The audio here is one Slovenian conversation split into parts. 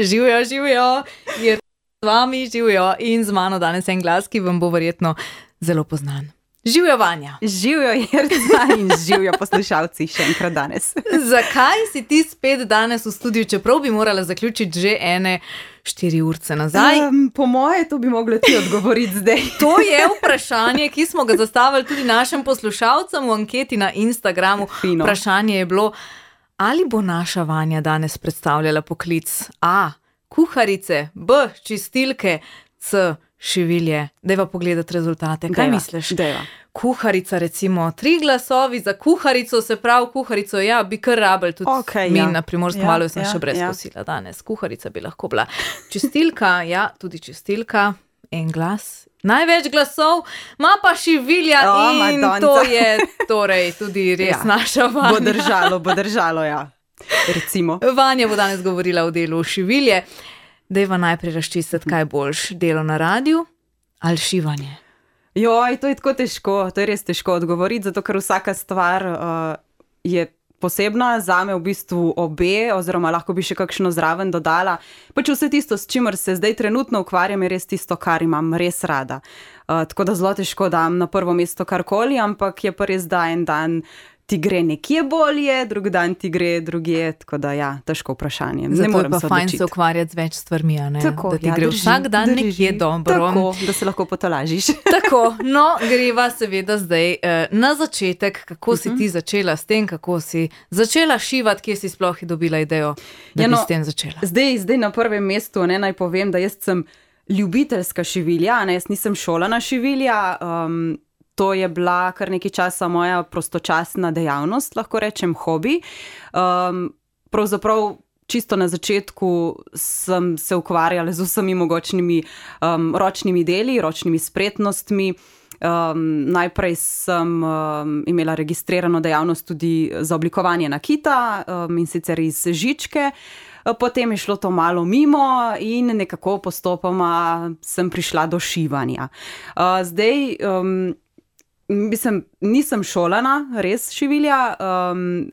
Živijo, je z vami, živijo in z mano danes en glas, ki vam bo verjetno zelo poznan. Živijo, Vanja. Živijo, Jerca, in živijo poslušalci še enkrat danes. Zakaj si ti spet danes v studiu, čeprav bi morala zaključiti že 4 urce nazaj? Po moje, to bi mogla ti odgovoriti zdaj. To je vprašanje, ki smo ga zastavili tudi našim poslušalcem v anketi na Instagramu. Fino. Vprašanje je bilo, ali bo naša Vanja danes predstavljala poklic A. Kuharice, B. Čistilke, C. Šivilje. Dajva pogledati rezultate. Kaj misliš? Dejva. Kuharica, recimo, 3 glasovi za kuharico, se pravi kuharico, ja, bi kar rabili tudi mi na Primorskem valu, sem še brez kosila danes. Kuharica bi lahko bila. Čistilka, ja, tudi čistilka, en glas. Največ glasov, ima pa Šivilja in Madonca. To je torej tudi res naša Vanja. Bo držalo, ja. Recimo. Vanja bo danes govorila o delu Šivilje. Dajva najprej razčistiti, kaj boljš, delo na radiju ali šivanje? Joj, to je tako težko, to je res težko odgovoriti, zato ker vsaka stvar je posebna, zame v bistvu obe, oziroma lahko bi še kakšno zraven dodala. Pač vse tisto, s čimer se zdaj trenutno ukvarjam, je res tisto, kar imam res rada. Tako da zelo težko dam na prvo mesto karkoli, ampak je pa res, da en dan ti gre nekje bolje, drug dan ti gre drugje, tako da ja, težko vprašanje. Zato je pa fajn se ukvarjati z več stvarmi, a ne? Tako, da ti gre vsak dan nekje dobro. Tako, da se lahko potolažiš. Tako, no, greva seveda zdaj na začetek, kako si ti začela s tem, kako si začela šivati, kje si sploh dobila idejo, da bi s tem začela. Zdaj na prvem mestu, naj povem, da jaz sem ljubiteljska šivilja, jaz nisem šolana šivilja, to je bila kar nekaj časa moja prostočasna dejavnost, lahko rečem hobi. Pravzaprav čisto na začetku sem se ukvarjala z vsemi mogočnimi ročnimi deli, ročnimi spretnostmi. Najprej sem imela registrirano dejavnost tudi za oblikovanje nakita, in sicer iz žičke. Potem je šlo to malo mimo in nekako postopoma sem prišla do šivanja. Zdaj nisem šolana, res šivilja,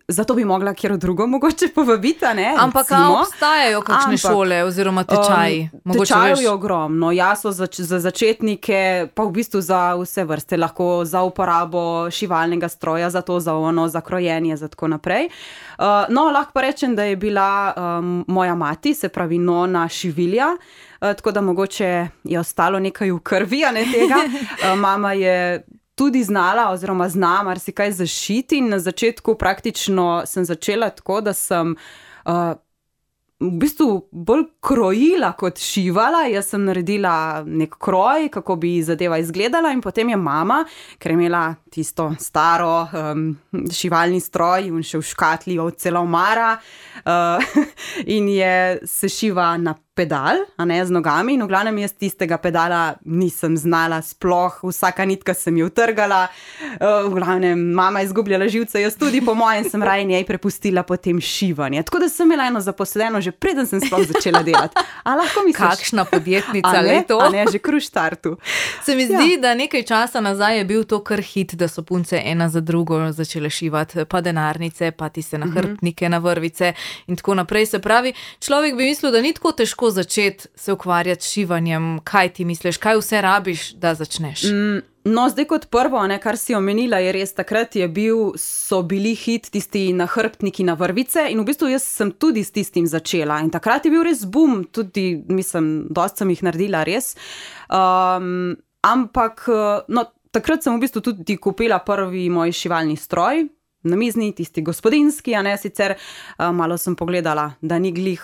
zato bi mogla kjer drugo mogoče povabiti, ne? Ampak obstajajo kakšne šole oziroma tečaji? Tečajev je ogromno, ja, so za začetnike, pa v bistvu za vse vrste, lahko za uporabo šivalnega stroja, za to, za ono, za krojenje, za tako naprej. No, lahko pa rečem, da je bila moja mati, se pravi nona šivilja, tako da mogoče je ostalo nekaj v krvi, a ne tega. Mama je tudi znala oziroma zna marsikaj zašiti in na začetku praktično sem začela tako, da sem v bistvu bolj krojila kot šivala. Jaz sem naredila nek kroj, kako bi zadeva izgledala, in potem je mama, ker je imela tisto staro šivalni stroj in še v škatli od cela omara, in je se šiva na pedal, a ne z nogami, in v glavnem jaz tistega pedala nisem znala sploh, vsaka nitka sem jo utrgala, v glavnem mama je izgubljala živce, jaz tudi, po mojem sem raje njej prepustila potem šivanje. Tako da sem imela eno zaposleno, že preden sem sploh začela delati. A lahko misliš? Kakšna podjetnica, le to? A ne, že kar v štartu. Se mi zdi, da nekaj časa nazaj je bil to kar hit, da so punce ena za drugo začele šivati, pa denarnice, pa tiste nahrbtnike, na vrvice in tako naprej. Se pravi, človek bi mislil, da ni tako težko začeti se ukvarjati s šivanjem. Kaj ti misliš, kaj vse rabiš, da začneš? No, zdaj kot prvo, kar si omenila, je res, takrat so bili hit tisti nahrbtniki na vrvice in v bistvu jaz sem tudi s tistim začela in takrat je bil res boom, tudi, mislim, dosti sem jih naredila res, ampak, no, takrat sem v bistvu tudi kupila prvi moj šivalni stroj, namizni, tisti gospodinjski, a ne, sicer malo sem pogledala, da ni glih,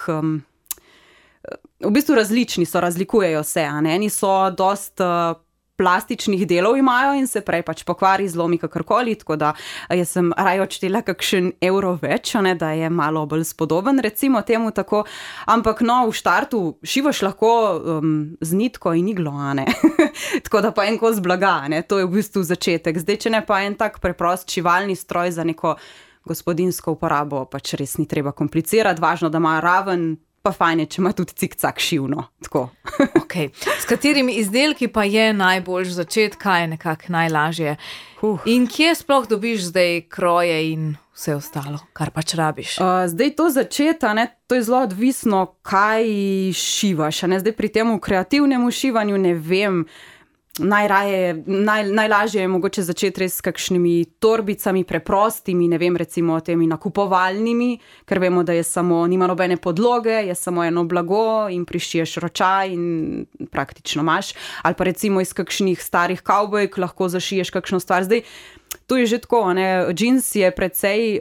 v bistvu različni so, razlikujejo se, a ne, eni so dosti plastičnih delov imajo in se prej pač pokvari, zlomi kakorkoli, tako da jaz sem raje odštela kakšen evro več, ne, da je malo bolj spodoben, recimo temu tako, ampak no, v štartu šivaš lahko z nitko in iglo, a ne, tako da pa en kos blaga, ne, to je v bistvu začetek. Zdaj, če ne pa en tak preprost šivalni stroj za neko gospodinjsko uporabo, pač res ni treba komplicirati, važno, da ima raven, pa fajn je, če ima tudi cik-cak šivno, tako. Okay. S katerimi izdelki pa je najboljš začeti, kaj je nekako najlažje? In kje sploh dobiš zdaj kroje in vse ostalo, kar pač rabiš? Zdaj to začeti, to je zelo odvisno, kaj šivaš. Zdaj pri tem kreativnem šivanju ne vem, najlažje je mogoče začeti res s kakšnimi torbicami, preprostimi, ne vem, recimo temi nakupovalnimi, ker vemo, da nima nobene podloge, je samo eno blago in prišiješ ročaj in praktično imaš. Ali pa recimo iz kakšnih starih kavbojk lahko zašiješ kakšno stvar. Zdaj, to je že tako, džins je precej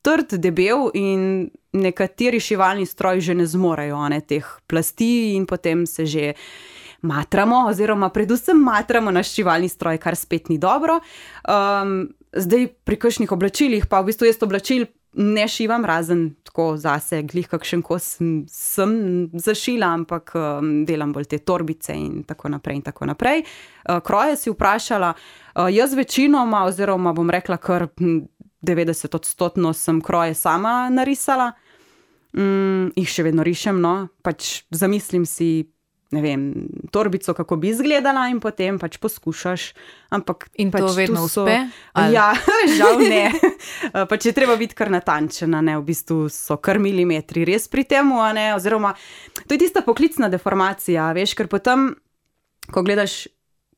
trd, debel in nekateri šivalni stroji že ne zmorejo teh plasti in potem se že matramo, oziroma predvsem matramo naš šivalni stroj, kar spet ni dobro. Zdaj pri kakšnih oblačilih, pa v bistvu jaz oblačil ne šivam, razen tako zase, glih kakšen kos sem zašila, ampak delam bolj te torbice in tako naprej in tako naprej. Kroje si vprašala, jaz večinoma, oziroma bom rekla kar 90% sem kroje sama narisala. Jih še vedno rišem, pač zamislim si, ne vem, torbico, kako bi izgledala in potem pač poskušaš. Ampak in pač to vedno uspe? Ja, žal ne. Pač je treba biti kar natančena, v bistvu so kar milimetri res pri temu, oziroma to je tista poklicna deformacija, veš, ker potem, ko gledaš,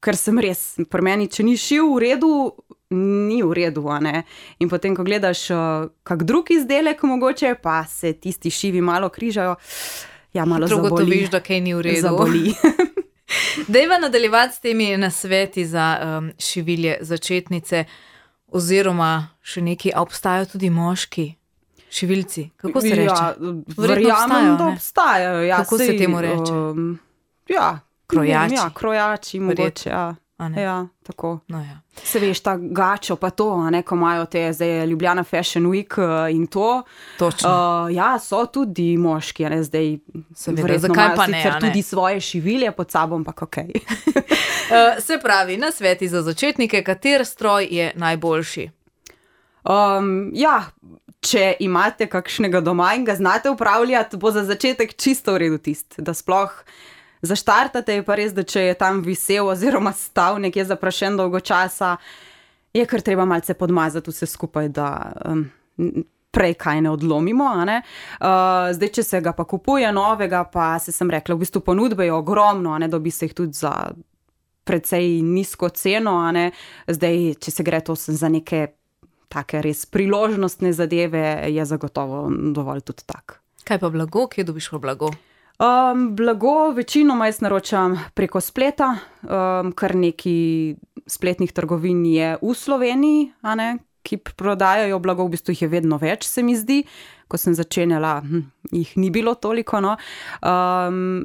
ker sem res, pri meni, če ni šil v redu, ni v redu, in potem, ko gledaš kak drug izdelek mogoče, pa se tisti šivi malo križajo, ja, malo zaboli. Ugotoviš, da kaj ni v redu. Zaboli. Dajva nadaljevati s temi nasveti za šivilje začetnice, oziroma še neki, a obstajajo tudi moški šivilci? Kako se reče? Verjamem, da obstajajo. Ja, kako se temu reče? Krojači. Ja, krojači mogoče, ja. Ja, tako. No, ja. Se veš, ta gačo pa to, ko imajo te zdaj Ljubljana Fashion Week in to. Točno. Ja, so tudi moški, zdaj seveda, zakaj pa ne? Sicer tudi svoje šivilje pod sabo, ampak okej. Se pravi, nasveti za začetnike, kater stroj je najboljši? Ja, če imate kakšnega doma in ga znate upravljati, bo za začetek čisto v redu tisti, da sploh zaštartate, je pa res, da če je tam visel oziroma stal nekje zaprašen dolgo časa, je kar treba malce podmazati vse skupaj, da prej kaj ne odlomimo. Zdaj, če se ga pa kupuje novega, pa sem rekla, v bistvu ponudbe je ogromno, dobi se jih tudi za precej nizko ceno. Zdaj, če se gre to za neke take res priložnostne zadeve, je zagotovo dovolj tudi tak. Kaj pa blago? Kje dobiš pa blago? Blago večinoma jaz naročam preko spleta, kar neki spletnih trgovin je v Sloveniji, ki prodajajo blago, v bistvu jih je vedno več, se mi zdi. Ko sem začenjala, jih ni bilo toliko.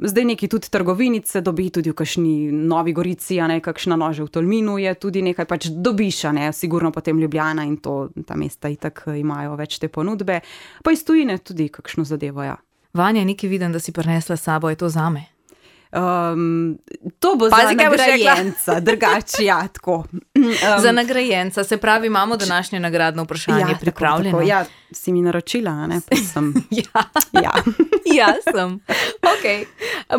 Zdaj neki tudi trgovinice dobi, tudi v kakšni Novi Gorici, kakšna Nože v Tolminu je tudi nekaj, pač dobiš, sigurno potem Ljubljana in to, ta mesta itak imajo več te ponudbe. Pa iz tujine tudi kakšno zadevo, ja. Vanja, nekaj vidim, da si prinesla s sabo, je to zame? To bo za nagrajenca, drugače, ja, tako. Za nagrajenca, se pravi, imamo današnje nagradno vprašanje pripravljeno. Tako. Ja, si mi naročila, pa sem. Ja, sem. Ok,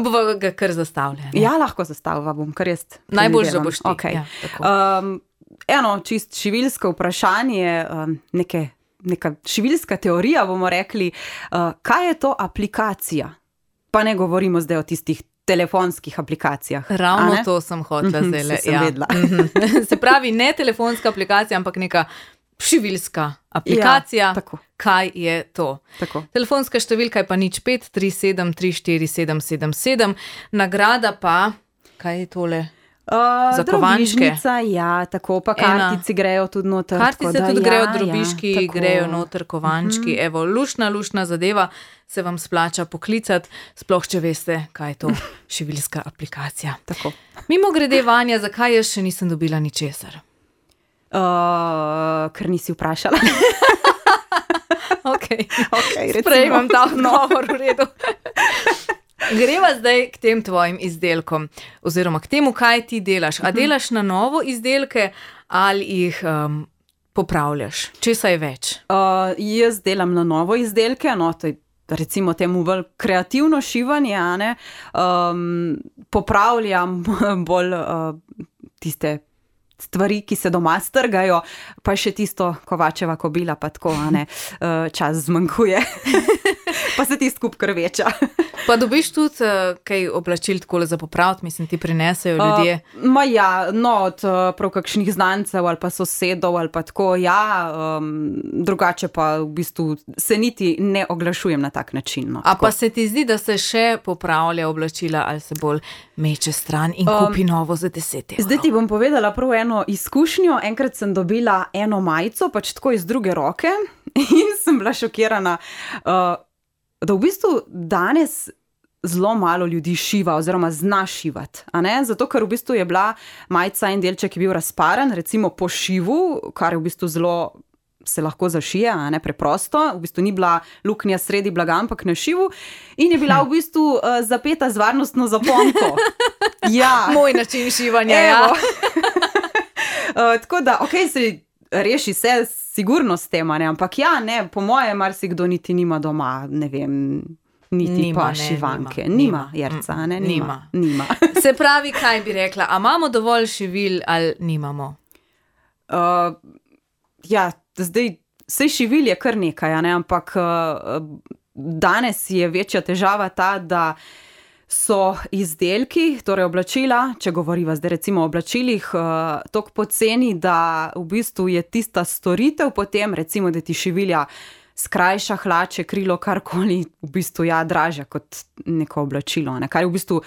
bova ga kar zastavlja. Ja, lahko zastavlja bom, kar jaz. Najbolj, da boš ti. Okay. Eno čist šivilsko vprašanje, neka šivilska teorija, bomo rekli, kaj je to aplikacija? Pa ne govorimo zdaj o tistih telefonskih aplikacijah. Ravno to sem hotela zdaj. Sem vedela. Se pravi, ne telefonska aplikacija, ampak neka šivilska aplikacija. Ja, kaj je to? Tako. Telefonska številka je pa 0537347777. Nagrada pa, kaj je tole? Za kovančke. Ja, tako pa kartici grejo tudi noter. Kartice tudi grejo, drobiški grejo noter, kovančki. Evo, lušna zadeva, se vam splača poklicati, sploh če veste, kaj je to šivilska aplikacija. Tako. Mimogrede, Vanja, zakaj jaz še nisem dobila ničesar? Ker nisi vprašala. Ok, sprejmem ta odgovor, v redu. Greva zdaj k tem tvojim izdelkom, oziroma k temu, kaj ti delaš. A delaš na novo izdelke ali jih popravljaš? Česa je več? Jaz delam na novo izdelke, to je recimo temu bolj kreativno šivanje, popravljam bolj tiste stvari, ki se doma strgajo, pa še tisto Kovačeva kobila, pa tako, čas zmanjkuje. Pa se ti skup krveča. Pa dobiš tudi kaj oblačil takole za popraviti, mislim, ti prinesejo ljudje? Od prav kakšnih znancev ali pa sosedov ali pa tako, drugače pa v bistvu se niti ne oglašujem na tak način. No, pa se ti zdi, da se še popravlja oblačila ali se bolj meče stran in kupi novo za 10 €? Zdaj ti bom povedala prav eno izkušnjo. Enkrat sem dobila eno majico, pač tako iz druge roke in sem bila šokirana, da v bistvu danes zelo malo ljudi šiva oziroma zna šivati. Zato, ker v bistvu je bila majica en delček, ki je bil razparen, recimo po šivu, kar je v bistvu zelo se lahko zašije, preprosto. V bistvu ni bila luknja sredi blaga, ampak na šivu. In je bila v bistvu zapeta z varnostno zaponko. Ja. Moj način šivanja, ja. Tako da, se reši se sigurno s tem, ampak po moje marsikdo niti nima doma, ne vem, niti pa šivanke. Nima, Jerca, Nima. Se pravi, kaj bi rekla, a imamo dovolj šivil ali nimamo? Zdaj, saj šivil je kar nekaj, ampak danes je večja težava ta, da so izdelki, torej oblačila, če govoriva zdaj recimo o oblačilih, toliko poceni, da v bistvu je tista storitev potem, recimo, da ti šivilja skrajša hlače, krilo, karkoli, v bistvu dražja kot neko oblačilo. Kar je v bistvu,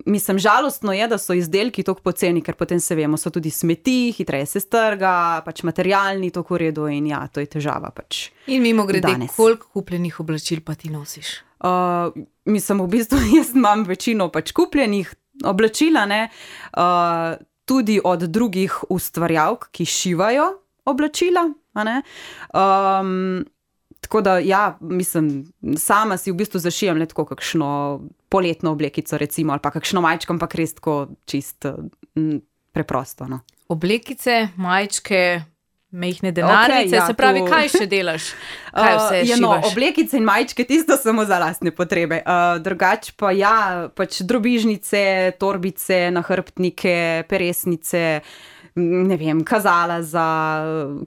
mislim, žalostno je, da so izdelki toliko poceni, ker potem se vemo, so tudi smeti, hitreje se strga, materialni, toliko v redu in to je težava In mimogrede, koliko kupljenih oblačil pa ti nosiš? Mislim, v bistvu jaz imam večino kupljenih oblačil, tudi od drugih ustvarjalk, ki šivajo oblačila, tako da, mislim, sama si v bistvu zašijam tako kakšno poletno oblekico, recimo, ali pa kakšno majčko, ampak res tako čist preprosto. No. Oblekice, majčke, mehne denarnice, se pravi, kaj še delaš? Kaj vse šivaš? Oblekice in majčke, tisto samo za lastne potrebe. Drugače pa drobižnice, torbice, nahrbtnike, peresnice, ne vem, kazala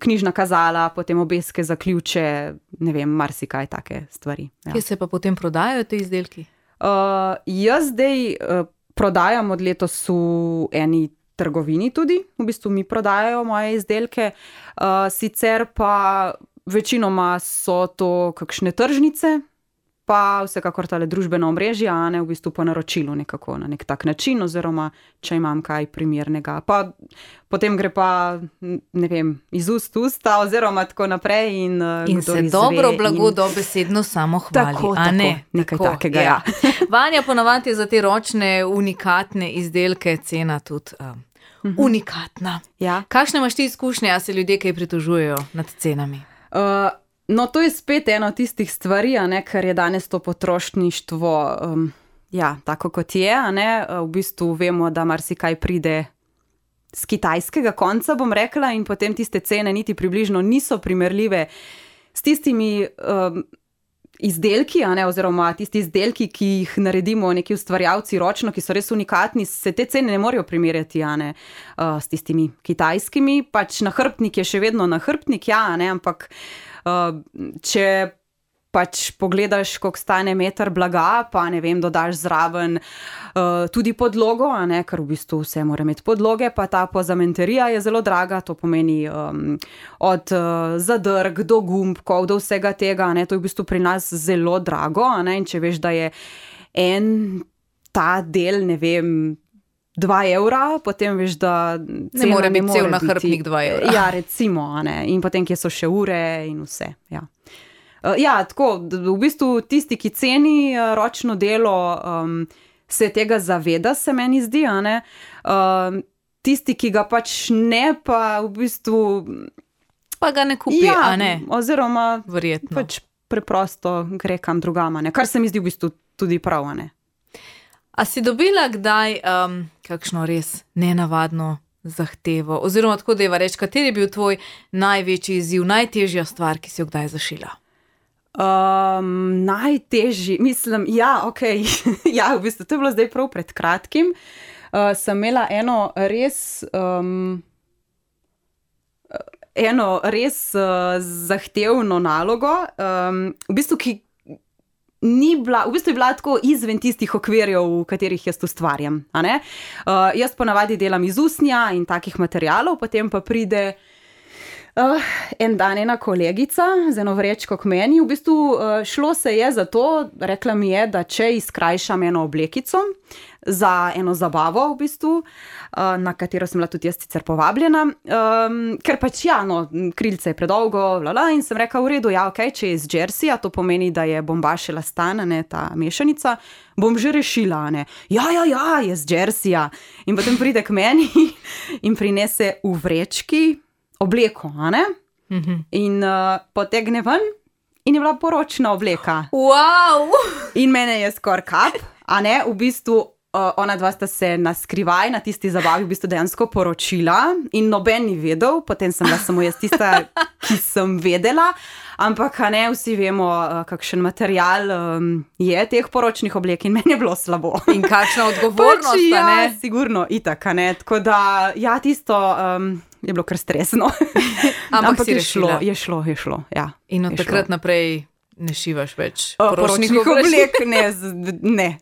knjižna kazala, potem obeske za ključe, ne vem, marsikaj take stvari. Kje se pa potem prodajajo te izdelki? Jaz zdaj prodajam od letos v eni trgovini tudi, v bistvu mi prodajajo moje izdelke, sicer pa večinoma so to kakšne tržnice, pa vsekakor tale družbena omrežja, v bistvu po naročilu nekako na nek tak način, oziroma če imam kaj primernega. Pa potem gre pa, ne vem, iz ust v usta, oziroma tako naprej. In se dobro blago dobesedno samo hvali, tako, nekaj tako, takega, ja. Vanja, ponavadi je za te ročne, unikatne izdelke cena tudi unikatna. Ja. Kakšne imaš ti izkušnje, a se ljudje kaj pritožujejo nad cenami? No, to je spet ena od tistih stvari, ker je danes to potrošništvo tako kot je. V bistvu vemo, da marsikaj pride z kitajskega konca, bom rekla, in potem tiste cene niti približno niso primerljive s tistimi izdelki, oziroma tisti izdelki, ki jih naredimo neki ustvarjalci ročno, ki so res unikatni, se te cene ne morejo primerjati s tistimi kitajskimi. Nahrbtnik je še vedno nahrbtnik, ampak če pogledaš, koliko stane meter blaga, pa ne vem, dodaš zraven tudi podlogo, ker v bistvu vse mora imeti podloge, pa ta pozamenterija je zelo draga, to pomeni od zadrg do gumbkov, do vsega tega, to je v bistvu pri nas zelo drago, in če veš, da je en ta del, ne vem, 2 €, potem veš, da ne more biti cel nahrbtnik 2 €. Ja, recimo, in potem, kje so še ure in vse, tako, v bistvu tisti, ki ceni ročno delo, se tega zaveda, se meni zdi, tisti, ki ga ne, pa v bistvu pa ga ne kupi, oziroma verjetno preprosto gre kam drugam, kar se mi zdi v bistvu tudi prav, A si dobila kdaj kakšno res nenavadno zahtevo, oziroma tako deva reči, kateri je bil tvoj največji izziv, najtežja stvar, ki si jo kdaj zašila? Najtežji, mislim, v bistvu to je bilo zdaj prav pred kratkim. sem imela eno res zahtevno nalogo, v bistvu, ki ni bila, v bistvu je bila tako izven tistih okvirjev, v katerih jaz ustvarjam. A ne? Jaz ponavadi delam iz usnja in takih materialov, potem pa pride en dan ena kolegica z eno vrečko k meni. V bistvu šlo se je za to, rekla mi je, da če izkrajšam eno oblekico za eno zabavo, v bistvu, na katero sem bila tudi jaz sicer povabljena, ker pač krilce je predolgo, in sem rekla, v redu, okej, če je iz Jerseyja, to pomeni, da je bombaž elastan, ne, ta mešanica, bom že rešila, ne. Ja, je iz Jerseyja. In potem pride k meni in prinese v vrečki obleko, a ne? In potegne ven in je bila poročna obleka. Wow! In mene je skoraj kap, a ne? V bistvu ona dva sta se na skrivaj na tisti zabavi v bistvu dejansko poročila in noben ni vedel, potem sem bila samo jaz tista, ki sem vedela, ampak ne, vsi vemo, kakšen material je teh poročnih oblek in meni je bilo slabo. In kakšna odgovornost, pač, ne? Sigurno, itak, ne, tako da, tisto je bilo kar stresno. Ampak si je šlo, ja. In od takrat naprej ne šivaš več poročnih oblek? Ne.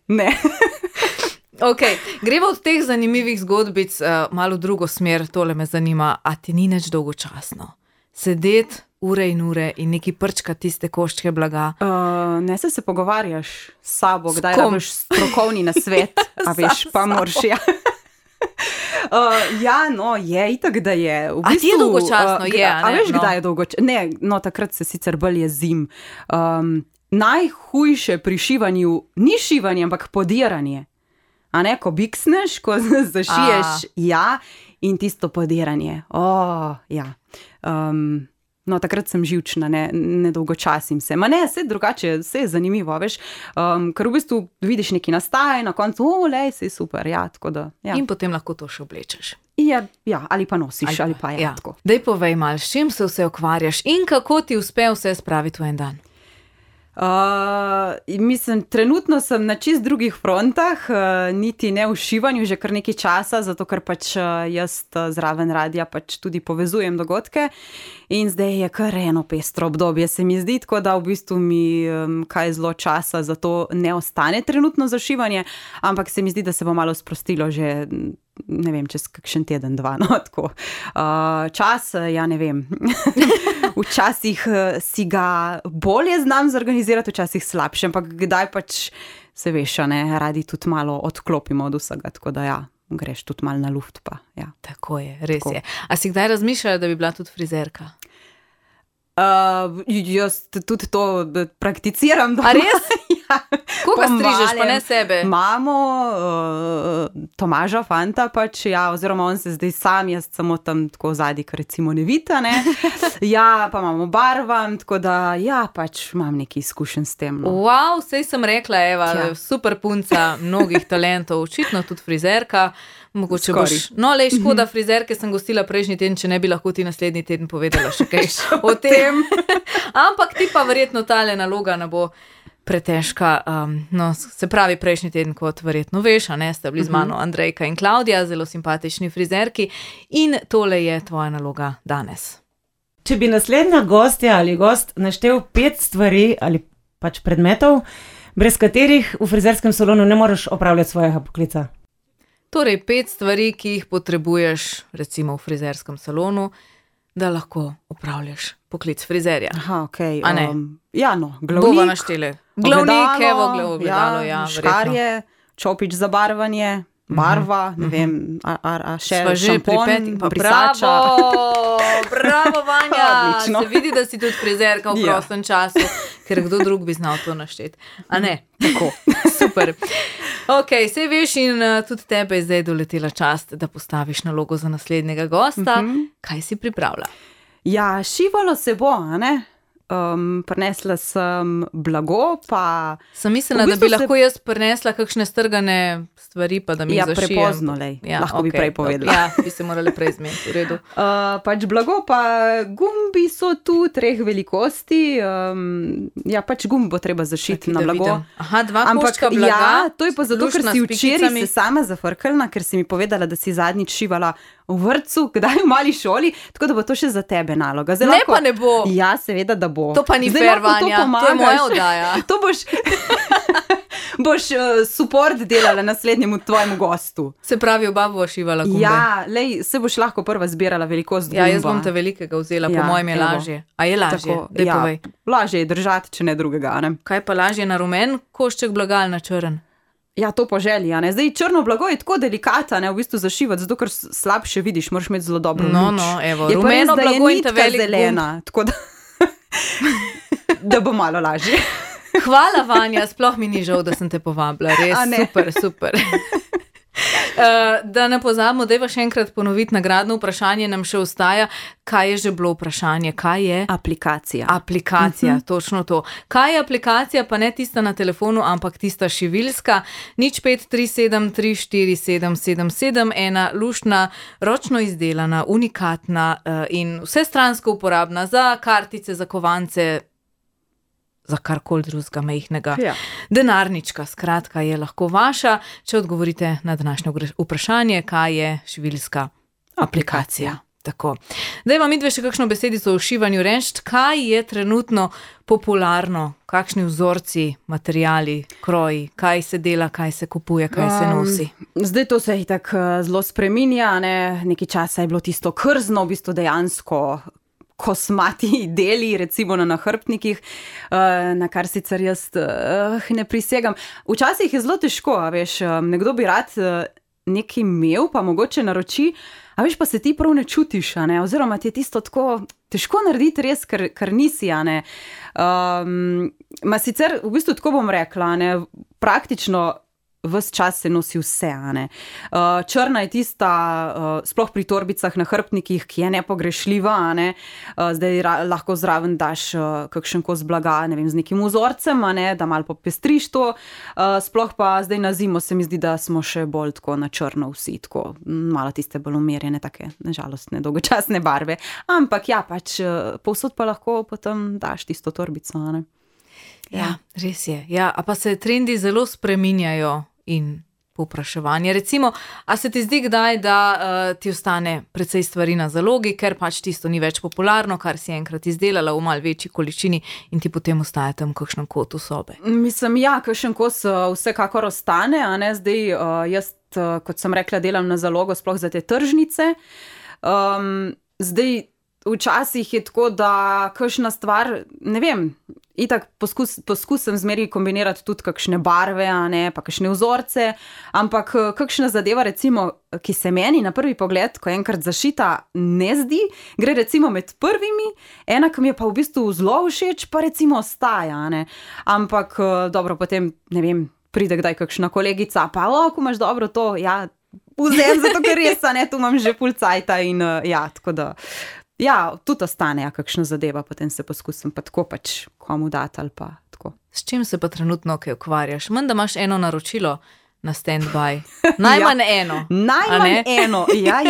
Ok, gremo od teh zanimivih zgodbic malo v drugo smer, tole me zanima, a ti ni nič dolgočasno? Sedeti ure in ure in neki prčka tiste koščke blaga? Ne se pogovarjaš s sabo, kdaj rabiš strokovni nasvet, a veš, pa moraš, je, itak da je. V bistvu, a ti je dolgočasno, je, a ne? A veš, kdaj je dolgočasno? Ne, takrat se sicer bolj jezim. Najhujše pri šivanju ni šivanje, ampak podiranje. A ne, ko biksneš, ko zašiješ, in tisto podiranje. Takrat sem živčna, ne dolgočasim se. Vse drugače, vse je zanimivo, veš, ker v bistvu vidiš nekaj nastaja in na koncu, sej super, tako da. Ja. In potem lahko to še oblečeš. Ali pa nosiš, ali pa tako. Daj povej malo, s čim se vse ukvarjaš in kako ti uspe vse spraviti v en dan? Mislim, trenutno sem na čist drugih frontah, niti ne v šivanju že kar nekaj časa, zato ker pač jaz zraven radia pač tudi povezujem dogodke in zdaj je kar eno pestro obdobje, se mi zdi, tako da v bistvu mi kaj zelo časa za to ne ostane trenutno za šivanje, ampak se mi zdi, da se bo malo sprostilo že, ne vem, čez kakšen teden, dva, tako. Čas, ne vem. Včasih si ga bolje znam zorganizirati, včasih slabše, ampak kdaj pač se veš, radi tudi malo odklopimo od vsega, tako da greš tudi malo na luft pa, Tako je, res je. A si kdaj razmišljala, da bi bila tudi frizerka? Jaz tudi to prakticiram doma. A res? Koga strižeš, pa ne sebe? Imamo Tomaža fanta pač, oziroma on se zdaj sam, jaz samo tam tako zadnji, kar recimo ne vita, ne. Pa imamo barvam, tako da, pač imam neki izkušenj s tem. Wow, sej sem rekla, Eva, super punca, mnogih talentov, očitno tudi frizerka. Mogoče boš. Škoda, frizerke sem gostila prejšnji teden, če ne bi lahko ti naslednji teden povedala še kaj o tem. Ampak ti pa verjetno tale naloga ne bo pretežka. Se pravi, prejšnji teden, kot verjetno veš, ste bili z mano Andrejka in Klavdija, zelo simpatični frizerki, in tole je tvoja naloga danes. Če bi naslednja gostja ali gost naštel 5 stvari ali pač predmetov, brez katerih v frizerskem salonu ne moreš opravljati svojega poklica. Torej 5 stvari, ki jih potrebuješ, recimo v frizerskem salonu, da lahko opravljaš poklic frizerja. Okej. A ne? Glavnik. Bova naštele. Glavnik, ogledalo, škarje, čopič za barvanje, barva, ne vem, še šampon, brisača. Bravo, Vanja! Odlično. Se vidi, da si tudi frizerka v prostem času, ker kdo drug bi znal to našteti. A ne? Tako. Super. Ok, sej veš in tudi tebe je zdaj doletela čast, da postaviš nalogo za naslednjega gosta. Kaj si pripravila? Šivalo se bo, a ne? prinesla sem blago, pa... Sem mislila, V bistvu da bi lahko jaz prinesla kakšne strgane stvari, pa da mi zašijem. prepozno, lahko bi prej povedala. Ja, bi se morali prej zmeniti, v redu. Pač blago, pa gumbi so tu 3 velikosti, pač gumb bo treba zašiti na blago. Vidim. Aha, 2 koščka blaga. Ja, to je pa zato, ker luštna si s včeraj pikicami. se sama zafrkala, ker si mi povedala, da si zadnjič šivala v vrtcu, kdaj v mali šoli, tako da bo to še za tebe naloga. Zdaj Ne, pa ne bo. Ja, seveda, da bo. To pa ni Zdaj fair, lahko to Vanja, to je pomagaš. moja oddaja. To boš support delala naslednjemu tvojemu gostu. Se pravi, oba bova šivala gumbe. Ja, se boš lahko prva zbirala velikost gumba. Ja, jaz bom te velikega vzela, po mojem je evo. lažje. A je lažje? Daj povej. Lažje je držati, če ne drugega, ne? Kaj pa lažje na rumen košček blaga ali na črn? Ja, to po želji, ne? Zdaj črno blago je tako delikata, ne, v bistvu zašivati, zato ker slabše vidiš, moraš imeti zelo dobro luč. Evo, Je pa rumeno res, da je blago in ta nitka velik zelena, tako da, da bo malo lažje. Hvala, Vanja, sploh mi ni žal, da sem te povabila, res A ne? super. Da ne pozabimo, dajva še enkrat ponoviti nagradno vprašanje, nam še ostaja, kaj je že bilo vprašanje, kaj je? Aplikacija. Aplikacija, točno to. Kaj je aplikacija, pa ne tista na telefonu, ampak tista šiviljska, 0537 347 777, ena luštna, ročno izdelana, unikatna in vsestransko uporabna za kartice, za kovance, za karkoli drugega majhnega. Ja. Denarnička, skratka, je lahko vaša, če odgovorite na današnje vprašanje, kaj je šiviljska aplikacija. Tako. Daj vam midve še kakšno besedico o šivanju reči, kaj je trenutno popularno, kakšni vzorci, materiali, kroji, kaj se dela, kaj se kupuje, kaj se nosi. Zdaj to se itak zelo spreminja, ne? Nekaj časa je bilo tisto krzno, v bistvu dejansko kosmati deli, recimo na nahrbtnikih, na kar sicer jaz ne prisegam. Včasih je zelo težko, a veš, nekdo bi rad nekaj imel, pa mogoče naroči, a veš, pa se ti prav ne čutiš, a ne, oziroma ti je tisto tako težko narediti res, ker nisi, a ne. Sicer, v bistvu tako bom rekla, a ne, praktično ves čas se nosi vse, a ne. Črna je tista, sploh pri torbicah na hrbtnikih, ki je nepogrešljiva, a ne. Zdaj lahko zraven daš kakšen kos blaga, ne vem, z nekim vzorcem, a ne, da malo popestriš to. Sploh pa zdaj na zimo se mi zdi, da smo še bolj tako na črno vsi, tako malo tiste bolj umirjene, take žalostne, dolgočasne barve. Ampak ja, pač povsod pa lahko potem daš tisto torbico, a ne. Ja, res je. Ja, a pa se trendi zelo spreminjajo in povpraševanje. Recimo, a se ti zdi kdaj, da ti ostane precej stvari na zalogi, ker pač tisto ni več popularno, kar si enkrat izdelala v malo večji količini in ti potem ostaje tam v kakšnem kotu sobe? Mislim, ja, kakšen kos vsekakor ostane, a ne, zdaj jaz, kot sem rekla, delam na zalogo sploh za te tržnice. Zdaj, včasih je tako, da kakšna stvar, ne vem, itak poskusim zmeri kombinirati tudi kakšne barve, a ne, pa kakšne vzorce, ampak kakšna zadeva, recimo, ki se meni na prvi pogled, ko enkrat zašita, ne zdi, gre recimo med prvimi, ena, ki mi je pa v bistvu zelo všeč, pa recimo ostaja, a ne. Ampak dobro, potem, ne vem, pride kdaj kakšna kolegica, pa ko imaš dobro to, ja, vzem, zato ker res, a ne, tu imam že pol cajta in ja, tako da. Ja, tudi ostane kakšna zadeva, potem se poskusim pa tako pač komu dati ali pa tako. S čim se pa trenutno kaj ukvarjaš? Menda imaš eno naročilo na stand-by. Najmanj eno. Najmanj eno, ja.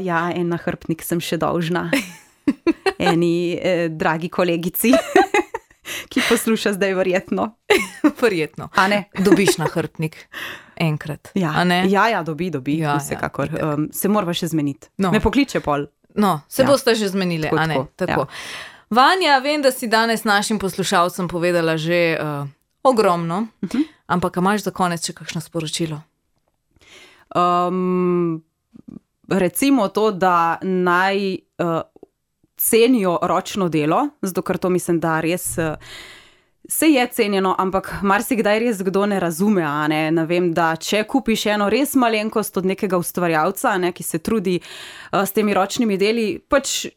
Ja, en nahrbtnik sem še dolžna. Eni dragi kolegici, ki posluša zdaj verjetno. Verjetno. A ne? Dobiš nahrbtnik enkrat. Ja, a ne? ja, dobi, vsekakor. Se morava še zmeniti. No. Me pokliče pol. No, se boste že zmenili, Tako, a ne? tako, Ja. Vanja, vem, da si danes našim poslušalcem povedala že ogromno, ampak a imaš za konec še kakšno sporočilo? Recimo to, da naj cenijo ročno delo, zato ker to mislim, da res se je cenjeno, ampak marsikdaj res kdo ne razume, a ne, vem, da če kupiš eno res malenkost od nekega ustvarjalca, ne, ki se trudi s temi ročnimi deli, pač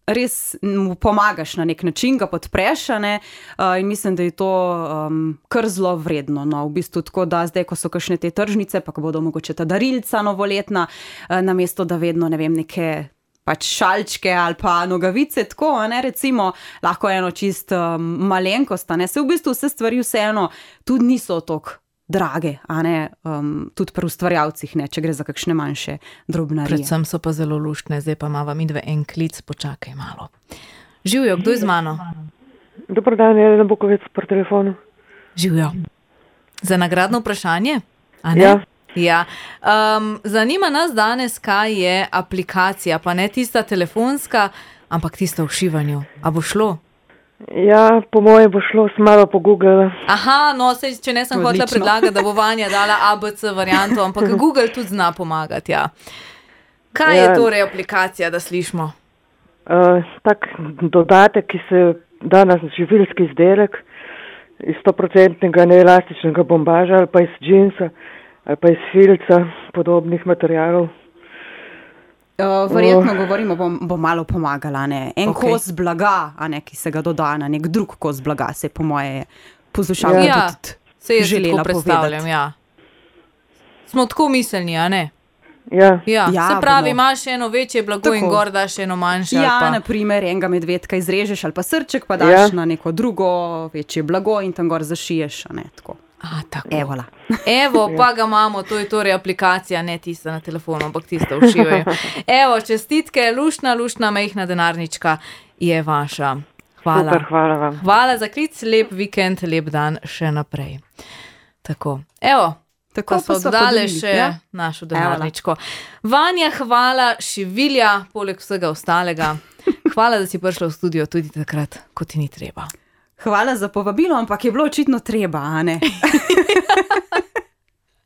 res mu pomagaš na nek način, ga podpreš, a ne, in mislim, da je to kar zelo vredno, no, v bistvu tako, da zdaj, ko so kakšne te tržnice, pa ko bodo mogoče ta darilca novoletna, namesto da vedno, ne vem, neke pač šalčke ali pa nogavice, tako, a ne, recimo, lahko eno čist malenkost, a ne, se v bistvu vse stvari vseeno tudi niso toliko drage, a ne, tudi pri ustvarjalcih, ne, če gre za kakšne manjše drobnarije. Predvsem so pa zelo luštne, zdaj pa imava midve en klic, počakaj malo. Živjo, kdo je z mano? Dobar dan, Jelena Bukovec po telefonu. Živjo. Za nagradno vprašanje? A ne? Ja. Ja. Zanima nas danes, kaj je aplikacija, pa ne tista telefonska, ampak tista v šivanju. A bo šlo? Ja, po moje bo šlo, sem malo pogooglala. Aha, no, sej, če ne sem hotela predlagati, da bo Vanja dala ABC varianto, ampak Google tudi zna pomagati, ja. Kaj je torej aplikacija, da slišimo? Tak dodatek, ki se da na živilski izdelek iz 100% neelastičnega bombaža ali pa iz džinsa ali pa iz filca, podobnih materialov. Verjetno govorimo, bo malo pomagala, ne? En kos blaga, a ne, ki se ga doda na nek drug kos blaga, se po moje poslušalka tudi se jaz želela tako predstavljam, povedati. ja. Smo tako miselni, a ne? Ja. Ja, Ja, se pravi, bomo. imaš eno večje blago in Tako. gor daš eno manjše. ali Ja, pa... naprimer, enega medvedka izrežeš ali pa srček, pa daš na neko drugo večje blago in tam gor zašiješ, a ne, tako. A, tako. Evola. Evo, pa ga imamo, to je torej aplikacija, ne tista na telefonu, ampak tista v šivaju. Evo, čestitke, luštna, majhna denarnička je vaša. Hvala. Super, hvala vam. Hvala za klic, lep vikend, lep dan še naprej. Tako, evo. Tako Pa so sva oddale podelili, še ja? našo denarničko. Vanja, hvala, šivilja, poleg vsega ostalega. Hvala, da si prišla v studio tudi takrat, ko ti ni treba. Hvala za povabilo, ampak je bilo očitno treba, a ne?